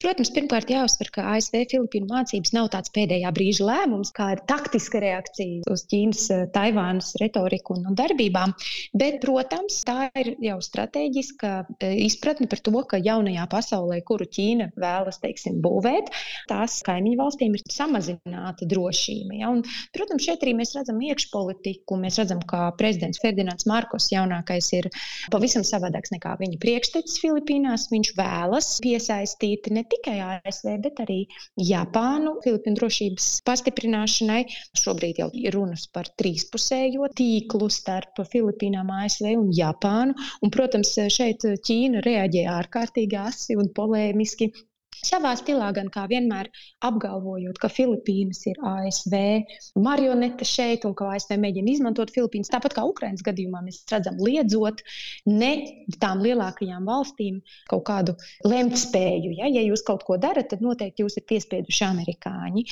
Protams, pirmkārt jāuzsver, ka ASV-Filipīnu mācības nav tāds pēdējā brīža lēmums, kā ir taktiska reakcija uz Ķīnas, Taivānas retoriku un darbībām, bet, protams, tā ir jau stratēģiska izpratne par to, ka jaunajā pasaulē, kuru Ķīna vēlas, būvēt, tās kaimiņu valstīm ir samazināta drošība. Ja? Un, protams, šeit arī mēs redzam iekšpolitiku, mēs redzam, ka prezidents Ferdinands Markos jaunākais ir pavisam savādāks nekā viņa priekštecis Filipīnās. Viņš vēlas piesaistīt ne tikai ASV, bet arī Japānu Filipīnu drošības pastiprināšanai. Šobrīd jau ir runas par trīspusējo tīklu starp Filipīnām, ASV un Japānu. Un, protams, šeit Ķīna reaģē ārkārtīgi asi un polēmiski. Savā stilā gan kā vienmēr apgalvojot, ka Filipīnas ir ASV marionete šeit un ka ASV mēģina izmantot Filipīnas. Tāpat kā Ukrainas gadījumā mēs redzam liedzot ne tām lielākajām valstīm kaut kādu lemtspēju. Ja jūs kaut ko darat, tad noteikti jūs ir piespieduši amerikāņi.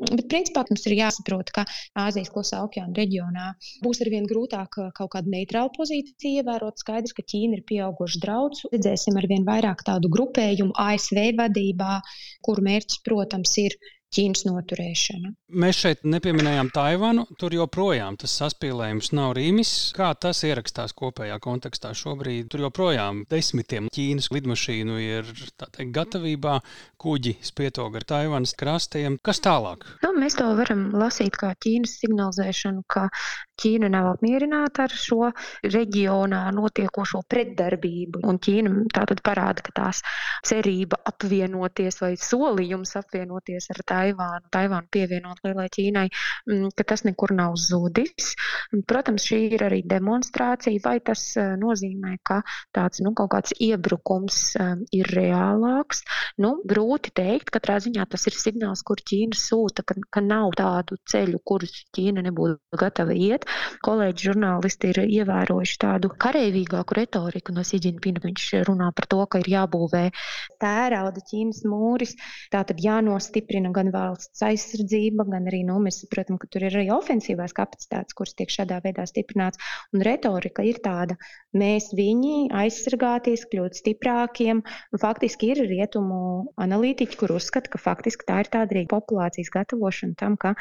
Bet principā mums ir jāsaprot, ka Āzijas klusā okeāna reģionā būs arvien grūtāk kaut kādu neitrālu pozīciju ievērot. Skaidrs, ka Ķīna ir pieauguši draudz. Redzēsim arvien vairāk tādu grupējumu ASV vadību, kuru mērķis, protams, ir Ķīnas noturēšana. Mēs šeit nepieminējām Taivanu, tur joprojām tas saspīlējums nav rīmis. Kā tas ierakstās kopējā kontekstā šobrīd? Tur joprojām desmitiem Ķīnas lidmašīnu ir gatavībā, kuģi spietoga ar Taivanas krastiem. Kas tālāk? Mēs to varam lasīt kā Ķīnas signalizēšanu, ka Ķīna nav apmierināta ar šo reģionā notiekošo pretdarbību. Un Ķīna tātad parāda, ka tās cerība apvienoties vai solījums apvienoties ar Taivānu pievienot lielai Ķīnai, ka tas nekur nav zudis. Protams, šī ir arī demonstrācija, vai tas nozīmē, ka tāds kaut kāds iebrukums ir reālāks. Grūti teikt, katrā ziņā tas ir signāls, kur Ķīna sūta, ka nav tādu ceļu, kurus Ķīna nebūtu gatava iet. Kolēģi žurnālisti ir ievērojuši tādu kareivīgāku retoriku no Xi Jinpinga. Viņš runā par to, ka ir jābūvē tērauda Ķīnas mūris, tātad jānostiprina gan valsts aizsardzība, gan arī, mēs saprotam, ka tur ir arī ofensīvās kapacitātes, kuras tiek šādā veidā stiprināts. Un retorika ir tāda, mēs viņi aizsargāties, kļūt stiprākiem. Un faktiski ir rietumu analītiķi, kur uzskata, ka faktiski tā ir tāda arī populācijas gatavošana tam, ka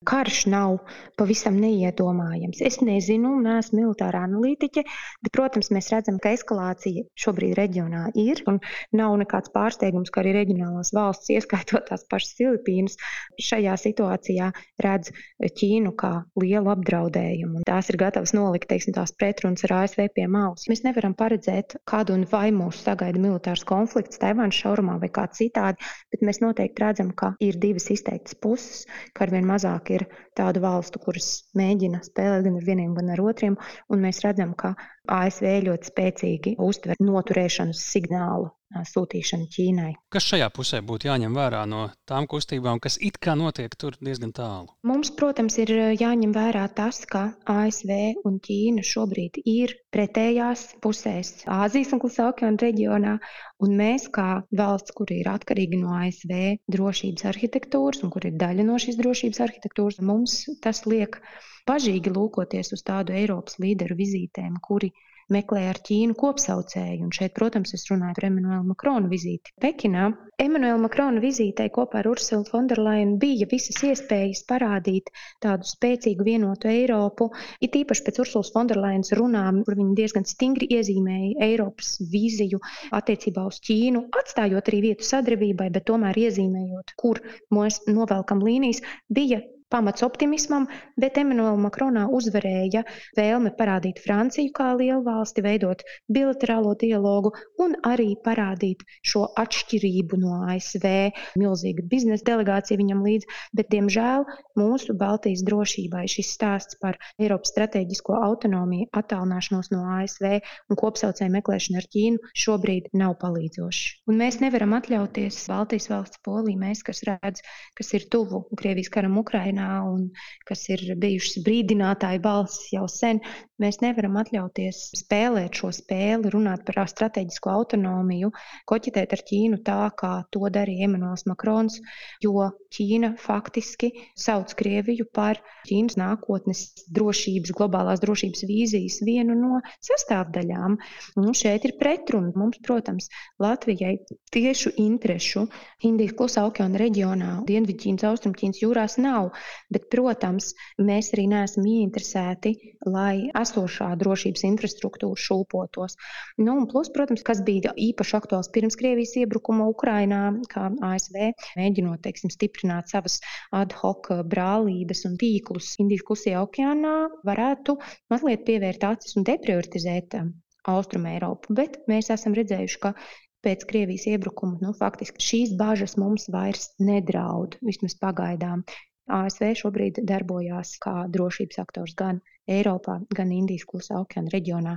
karš nav pavisam neiedomājams. Es nezinu, neesmu militāra analītiķe, bet, protams, mēs redzam, ka eskalācija šobrīd reģionā ir, un nav nekāds pārsteigums, ka arī reģionālās valsts, ieskaitot tās pašas Filipīnas, šajā situācijā redz Ķīnu kā lielu apdraudējumu, un tās ir gatavas nolikt, tās pretrunas ar ASV pie malas. Mēs nevaram paredzēt, kādu un vai mūs sagaida militārs konflikts Taivānas šaurumā vai kā citādi, bet mēs noteikti redzam, ka ir divas izteiktas puses, ka arvien mazāk ir tādu valstu, kuras mēģina spēlēt gan ar vieniem, gan ar otriem, un mēs redzam, ka ASV ļoti spēcīgi uztver noturēšanas signālu sūtīšanu Ķīnai. Kas šajā pusē būtu jāņem vērā no tām kustībām, kas it kā notiek tur diezgan tālu? Mums, protams, ir jāņem vērā tas, ka ASV un Ķīna šobrīd ir pretējās pusēs Āzijas un Klusā okeāna reģionā, un mēs kā valsts, kur ir atkarīgi no ASV drošības arhitektūras un kur ir daļa no šīs drošības arhitektūras, mums tas liek bažīgi lūkoties uz tādu Eiropas līderu vizītēm, kuri meklē ar Ķīnu kopsaucēju. Un šeit, protams, es runāju par Emanuela Makrona vizīti Pekinā. Emanuela Makrona vizītei kopā ar Ursulu Fonderleinu bija visas iespējas parādīt tādu spēcīgu vienotu Eiropu, it īpaši pēc Ursulas Fonderleinas runām, kur viņa diezgan stingri iezīmēja Eiropas vīziju attiecībā uz Ķīnu, atstājot arī vietu sadarbībai, bet tomēr iezīmējot, kur mēs novelkam līnijas, bija pamats optimismam, bet Emanuela Makronā uzvarēja vēlme parādīt Franciju kā lielu valsti, veidot bilaterālo dialogu un arī parādīt šo atšķirību no ASV. Milzīga biznesa delegācija viņam līdz, bet, diemžēl, mūsu Baltijas drošībai šis stāsts par Eiropas strateģisko autonomiju, attālināšanos no ASV un kopsaucēju meklēšanu ar Ķīnu šobrīd nav palīdzošs. Un mēs nevaram atļauties Baltijas valsts Polija, mēs, kas redz, kas ir tuvu Krievijas karam Ukrainā, virzienā un kas ir bijušas brīdinātāju balsis jau sen, mēs nevaram atļauties spēlēt šo spēli, runāt par strateģisko autonomiju, koķetēt ar Ķīnu tā, kā to darīja Emmanuels Makrons, jo Ķīna faktiski sauc Krieviju par Ķīnas nākotnes drošības, globālās drošības vīzijas vienu no sastāvdaļām. Un šeit ir pretruna. Mums, protams, Latvijai tiešu interešu Indijas klusā okeāna reģionā, Dienvidķīnas, Austrumķīnas jūrās nav, bet, protams, mēs arī neesam ieinteresēti, lai esošā drošības infrastruktūra šūpotos. Un plus, protams, kas bija īpaši aktuāls pirms Krievijas iebrukuma Ukrainā, kā ASV mēģinot, stiprināt savas ad hoc brālības un tīklus Indijas klusajā okeānā, varētu mazliet pievērt acis un deprioritizēt Austrumu Eiropu, bet mēs esam redzējuši, ka pēc Krievijas iebrukuma faktiski šīs bažas mums vairs nedraud, vismaz pagaidām. ASV šobrīd darbojās kā drošības aktors gan Eiropā, gan Indijas klusā okeāna reģionā.